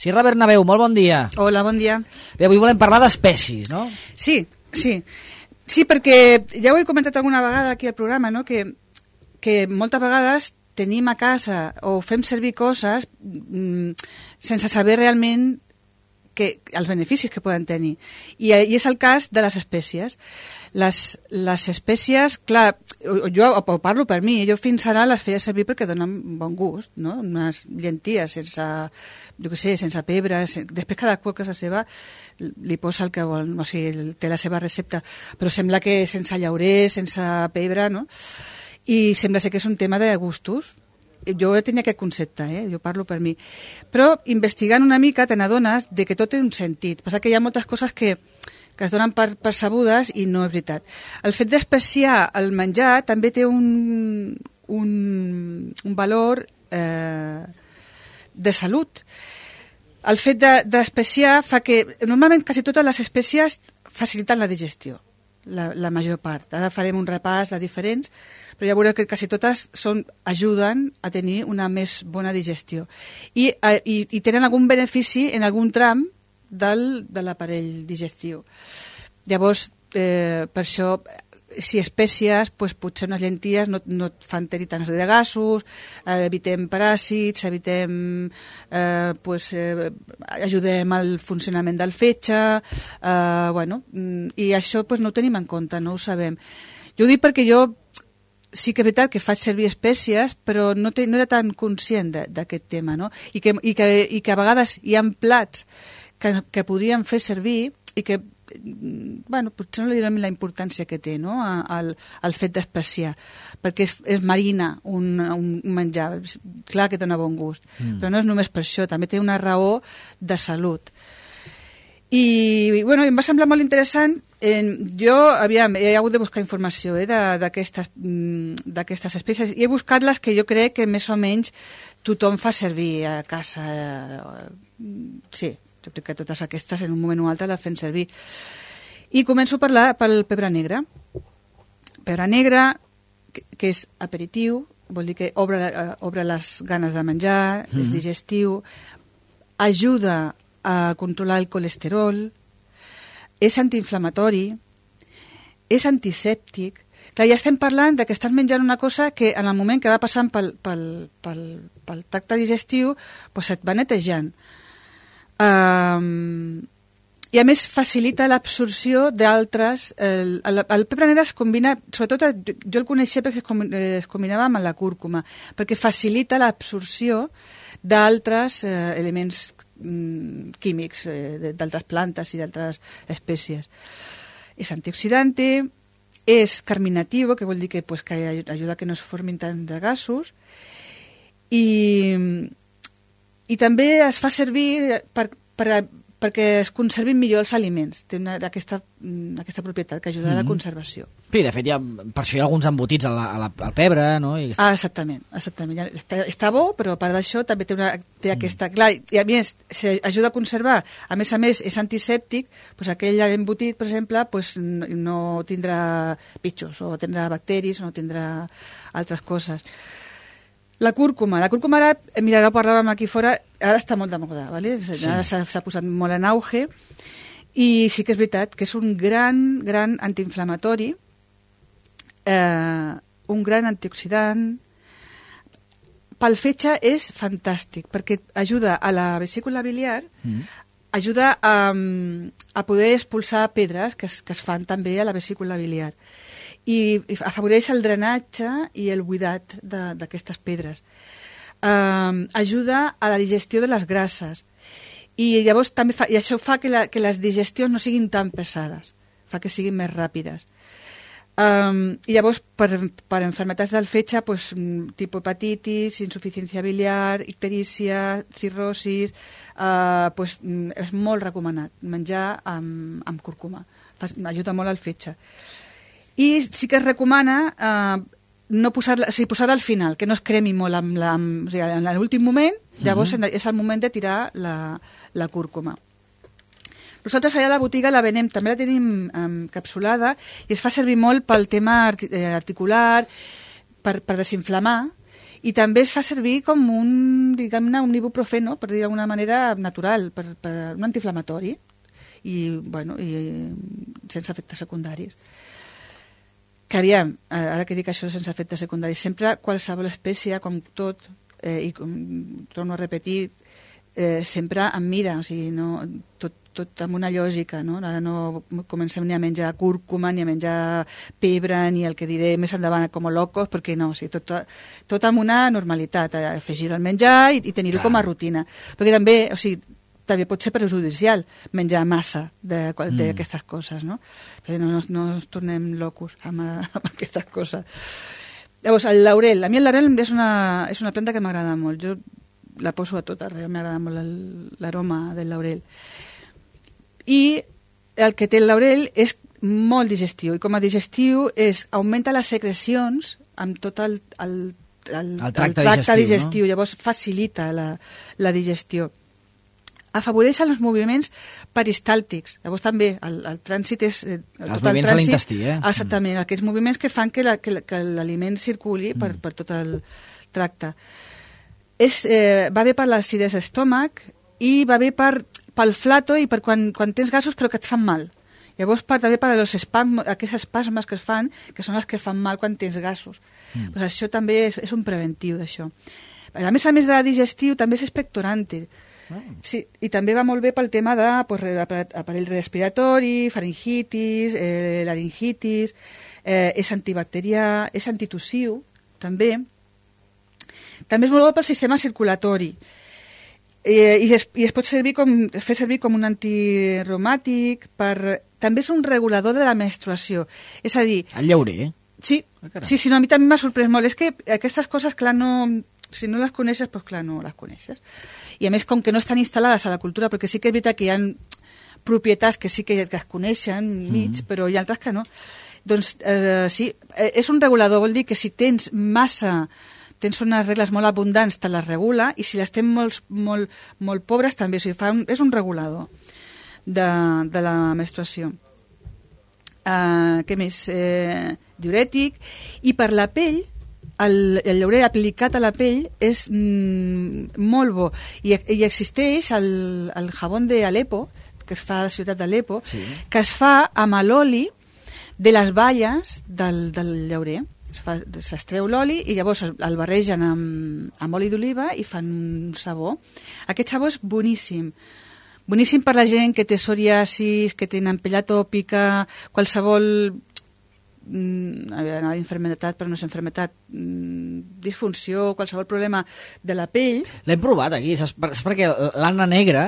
Sierra Bernabéu, molt bon dia. Hola, bon dia. Bé, avui volem parlar d'espècies, no? Sí, perquè ja ho he comentat alguna vegada aquí al programa, no? que moltes vegades tenim a casa o fem servir coses sense saber realment els beneficis que poden tenir. I és el cas de les espècies. Les espècies, clar, jo parlo per mi, jo fins ara les feia servir perquè donen bon gust, no? Unes llenties sense, jo què sé, sense pebre, després cada qual casa seva li posa el que vol, o sigui, té la seva recepta, però sembla que sense llaurer, sense pebre, no? I sembla ser que és un tema de gustos. Jo tenia aquest concepte, jo parlo per mi. Però investigant una mica te n'adones de que tot té un sentit. Passa que hi ha moltes coses que es donen per sabudes i no és veritat. El fet d'especiar el menjar també té un valor de salut. El fet d'especiar fa que... Normalment quasi totes les espècies faciliten la digestió, la major part. Ara farem un repàs de diferents, però ja veureu que quasi totes ajuden a tenir una més bona digestió. I tenen algun benefici en algun tram de l'aparell digestiu. Llavors, per això, si espècies, doncs potser unes llenties no et fan tenir tants de gasos, evitem paràsits, ajudem al funcionament del fetge, i això no ho tenim en compte, no ho sabem. Jo ho dic perquè jo sí que és veritat que faig servir espècies, però no era tan conscient d'aquest tema, no? I que a vegades hi ha plats que podríem fer servir i que, potser no li donem la importància que té, no?, el fet d'especiar, perquè és marina un menjar, clar que dona bon gust, però no és només per això, també té una raó de salut. I em va semblar molt interessant. Jo he hagut de buscar informació d'aquestes espècies i he buscat les que jo crec que més o menys tothom fa servir a casa. Sí, jo crec que totes aquestes en un moment o altre les fem servir. I començo a parlar pel pebre negre. Pebre negre, que és aperitiu, vol dir que obre les ganes de menjar, és digestiu, ajuda a controlar el colesterol, és antiinflamatori, és antisèptic. Clar, ja estem parlant que estàs menjant una cosa que en el moment que va passant pel tracte digestiu et va netejant. I a més facilita l'absorció d'altres... El pebre negre es combina, sobretot jo el coneixia perquè es combinava amb la cúrcuma, perquè facilita l'absorció d'altres elements químics d'altres plantes i d'altres espècies. És antioxidante, és carminatiu, que vol dir que ajuda a que no es formin tant de gasos, i també es fa servir perquè es conservin millor els aliments. Té aquesta propietat que ajuda a la conservació. Sí, de fet, per això hi ha alguns embotits al pebre, no? Exactament. Està bo, però a part d'això també té aquesta... Clar, i a més, ajuda a conservar. A més, és antisèptic, aquell embotit, per exemple, no tindrà pitjors, o tindrà bacteris, o no tindrà altres coses. La cúrcuma ara, mira, ara ho parlàvem aquí fora, ara està molt de moda, ¿vale? Ara s'ha posat molt en auge, i sí que és veritat que és un gran antiinflamatori, un gran antioxidant. Pel fetge és fantàstic, perquè ajuda a la vesícula biliar, ajuda a poder expulsar pedres que es fan també a la vesícula biliar, i afavoreix el drenatge i el buidat d'aquestes pedres. Ajuda a la digestió de les grasses, i llavors també i això fa que les digestions no siguin tan pesades, fa que siguin més ràpides. I llavors per enfermetats del fetge, tipus hepatitis, insuficiència biliar, icterícia, cirrosis, és molt recomanat menjar amb cúrcuma, ajuda molt al fetge. I sí que es recomana posar-la al final, que no es cremi molt en l'últim moment. Llavors és el moment de tirar la cúrcuma. Nosaltres allà a la botiga la venem, també la tenim capsulada, i es fa servir molt pel tema articular, per desinflamar, I també es fa servir com un, diguem-ne, un ibuprofeno, per dir d'alguna manera natural, per un antiinflamatori, i, bueno, i sense efectes secundaris. Que aviam, ara que dic això sense efectes secundaris, sempre qualsevol espècie, com tot, i com torno a repetir, sempre amb mida, o sigui, no, tot amb una lògica, no? Ara no comencem ni a menjar cúrcuma, ni a menjar pebre, ni el que diré més endavant com a locos, perquè no, o sigui, tot amb una normalitat, afegir-ho al menjar i tenir-ho com a rutina. Perquè també, o sigui, també pot ser perjudicial menjar massa d'aquestes coses, no? Perquè no ens tornem locos amb aquestes coses. Llavors, el laurel. A mi el laurel és una planta que m'agrada molt. Jo la poso a tot arreu, m'agrada molt l'aroma del laurel. I el que té el laurel és molt digestiu, i com a digestiu augmenta les secrecions amb tot el tracte digestiu, no? Llavors facilita la digestió. Afavoreix els moviments peristàltics. Llavors també el trànsit és... Els moviments de l'intestí, Exactament, aquests moviments que fan que l'aliment circuli per tot el tracte. Va bé per l'acidesa d'estómac i va bé pel flato i per quan tens gasos però que et fan mal. Llavors també per als aquests espasmes que es fan, que són els que fan mal quan tens gasos. Pues això també és un preventiu d'això. A més de digestiu també és expectorante. Sí, i també va molt bé pel tema d'aparell respiratori, faringitis, laringitis, és antibacterià, és antitussiu, també. També és molt bo pel sistema circulatori. I es pot fer servir com un antirreumàtic, també és un regulador de la menstruació. És a dir... El llaurer, Sí, no, a mi també m'ha sorprès molt. És que aquestes coses, clar, si no les coneixes, doncs clar, no les coneixes. I a més, com que no estan instal·lades a la cultura, perquè sí que és veritat que hi ha propietats que sí que es coneixen però hi ha altres que no. Doncs sí, és un regulador, vol dir que si tens unes regles molt abundants, te les regula, i si les tens molt pobres també, o sigui, és un regulador de la menstruació. Què més? Diurètic, i per la pell, el llaurer aplicat a la pell és molt bo, i existeix el jabón d'Alepo, que es fa a la ciutat d'Alepo, que es fa amb l'oli de les baies del llaurer. S'extreu l'oli i llavors el barregen amb oli d'oliva i fan un sabó. Aquest sabó és boníssim. Boníssim per la gent que té psoriasis, que tenen pell atòpica, qualsevol enfermetat, però no és enfermetat, disfunció, qualsevol problema de la pell. L'hem provat aquí, saps perquè l'Anna Negra,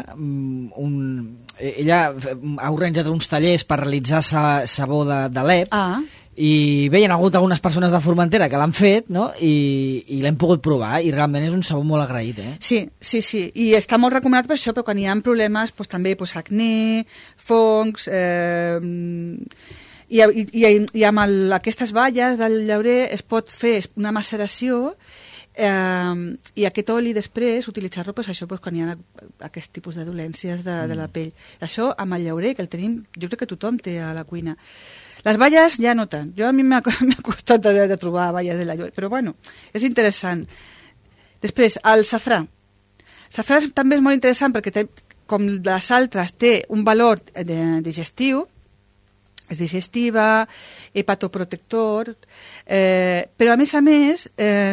ella ha organitzat uns tallers per realitzar sabó d'Alep, i bé, hi ha hagut algunes persones de Formentera que l'han fet, no? I l'hem pogut provar, i realment és un sabó molt agraït, Sí, i està molt recomanat per això, però quan hi ha problemes, doncs, també acné, fongs, i amb aquestes baies del llaurer es pot fer una maceració, i aquest oli després utilitzar-lo això quan hi ha aquest tipus de dolències de la pell. Això amb el llaurer, que el tenim, jo crec que tothom té a la cuina. Les baies ja no tant. A mi m'ha costat de trobar baies de llaurer, però bueno, és interessant. Després, el safrà. El safrà també és molt interessant perquè com les altres té un valor digestiu, és digestiva, hepatoprotector, però a més,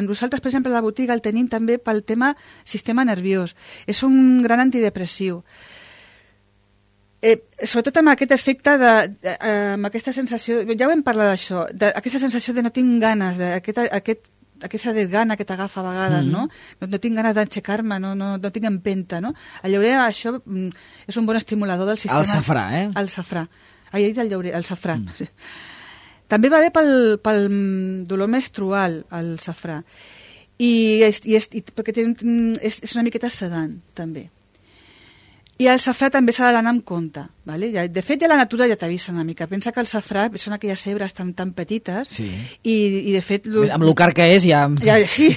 nosaltres, per exemple, a la botiga el tenim també pel tema sistema nerviós. És un gran antidepressiu. Sobretot amb aquest efecte, amb aquesta sensació, ja ho hem parlat d'això, aquesta sensació de no tinc ganes, aquesta desgana que t'agafa a vegades, no? No tinc ganes d'aixecar-me, no tinc empenta, no? El llaurer, això és un bon estimulador del sistema... El safrà, El safrà. He dit el llaurer, el safrà. També va bé pel dolor menstrual, el safrà. Perquè és una miqueta sedant, també. I el safrà també s'ha d'anar amb compte. Vale? De fet, ja la natura ja t'avisa una mica. Pensa que el safrà són aquelles cebres tan petites i de fet... Amb el car que és ja... Sí,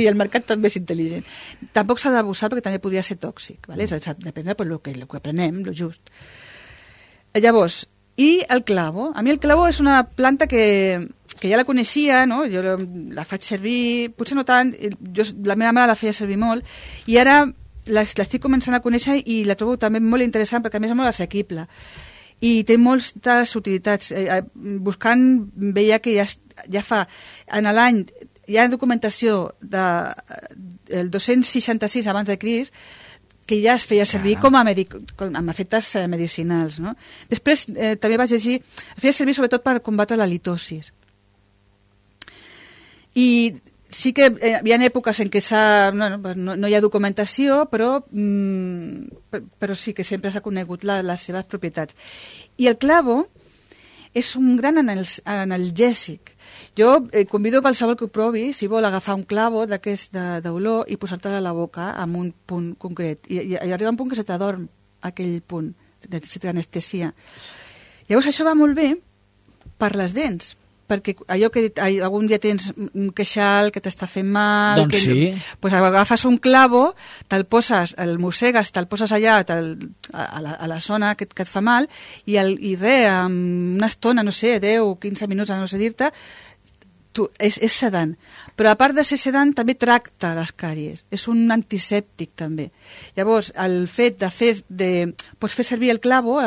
el mercat també és intel·ligent. Tampoc s'ha d'abusar perquè també podria ser tòxic. Vale? Depèn del que prenem, el just. Llavors, i el clavo. A mi el clavo és una planta que que ja la coneixia, no? Jo la faig servir, potser no tant, la meva mare la feia servir molt, i ara l'estic començant a conèixer i la trobo també molt interessant, perquè a més és molt assequible. I té moltes utilitats. Buscant veia que ja fa, en l'any, hi ha documentació del 266 abans de Crist, que ja es feia servir com amb efectes medicinals. No? Després també vaig llegir, es feia servir sobretot per combatre la litosis. I sí que hi ha èpoques en què no hi ha documentació, però sí que sempre s'ha conegut les seves propietats. I el clavo és un gran analgèsic. Jo convido qualsevol que ho provi, si vol agafar un clavo d'aquest d'olor i posar-te-la a la boca amb un punt concret. I arriba un punt que se t'adorm aquell punt, se t'anestesia. Llavors això va molt bé per les dents, perquè allò que algun dia tens un queixal que t'està fent mal... Doncs sí. Pues agafes un clavo, te'l poses, el mossegues, te'l poses allà a la zona que et fa mal i amb una estona, no sé, 10 o 15 minuts, no sé dir-te, és sedant. Però a part de ser sedant també tracta les càries. És un antisèptic també. Llavors, el fet pots fer servir el clavo,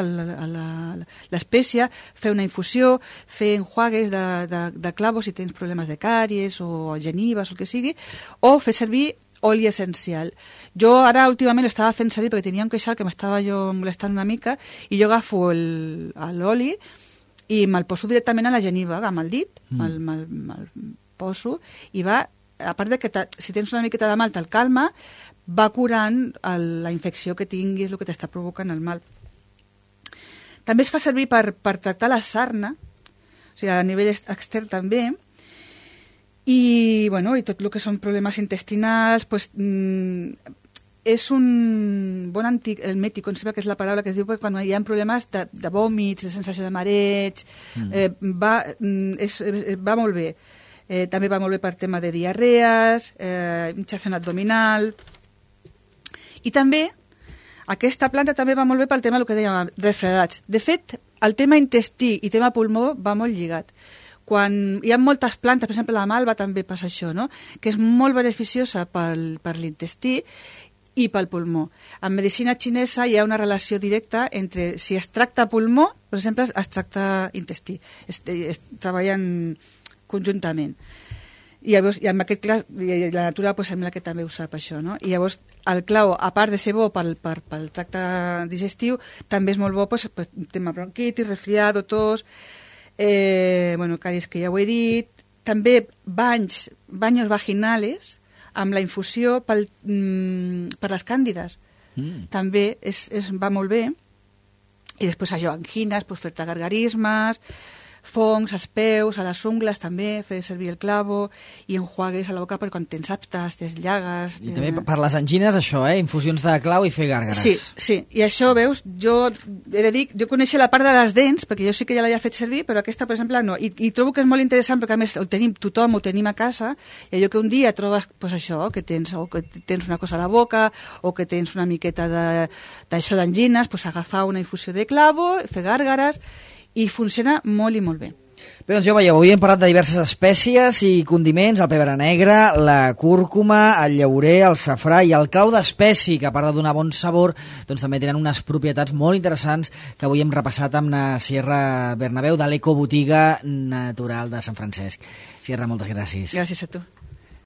l'espècia, fer una infusió, fer enjuagues de clavo si tens problemes de càries o genives o el que sigui, o fer servir oli essencial. Jo ara últimament l'estava fent servir perquè tenia un queixal que m'estava jo molestant una mica i jo agafo l'oli i me'l poso directament a la geniva, amb el dit, me'l poso, i va, a part de que si tens una miqueta de mal te'l calma, va curant la infecció que tinguis, el que t'està provocant el mal. També es fa servir per tractar la sarna, o sigui, a nivell extern també, i tot el que són problemes intestinals, pues, és un bon antiemètic, que és la paraula que es diu quan hi ha problemes de vòmits, de sensació de mareig, va molt bé. També va molt bé per tema de diarrees, hinchazón abdominal. I també, aquesta planta també va molt bé pel tema del que dèiem, refredats. De fet, el tema intestí i tema pulmó va molt lligat. Quan hi ha moltes plantes, per exemple la malva també passa això, no? Que és molt beneficiosa per l'intestí i pel pulmó. En medicina xinesa hi ha una relació directa entre si es tracta pulmó, per exemple, es tracta intestí. Es treballen conjuntament. I llavors, i en aquest cas, la natura sembla que també ho sap això, no? I llavors, el clau, a part de ser bo pel tracte digestiu, també és molt bo per tema bronquitis, resfriado, tos, càries que ja ho he dit, també banyos vaginales, amb la infusió per les càndides. També va molt bé. I després això, angines, fer-te gargarismes, fongs als peus, a les ungles també, fer servir el clavo i enjuagues a la boca per quan tens aftes, tens llagues... I també per les angines, això, infusions de clau i fer gàrgares. Sí, i això, veus, jo he de dir, jo coneixia la part de les dents, perquè jo sí que ja l'havia fet servir, però aquesta, per exemple, no. I trobo que és molt interessant, perquè a més tothom ho tenim a casa, i allò que un dia trobes, pues això, que tens una cosa a la boca, o que tens una miqueta d'això d'angines, pues agafar una infusió de clavo, fer gàrgares, i funciona molt i molt bé. Bé, doncs ja ho veieu, avui hem parlat de diverses espècies i condiments, el pebre negre, la cúrcuma, el llaurer, el safrà i el clau d'espècie, que a part de donar bon sabor, doncs també tenen unes propietats molt interessants que avui hem repassat amb la Sierra Bernabéu de l'Ecobotiga Natural de Sant Francesc. Sierra, moltes gràcies. Gràcies a tu.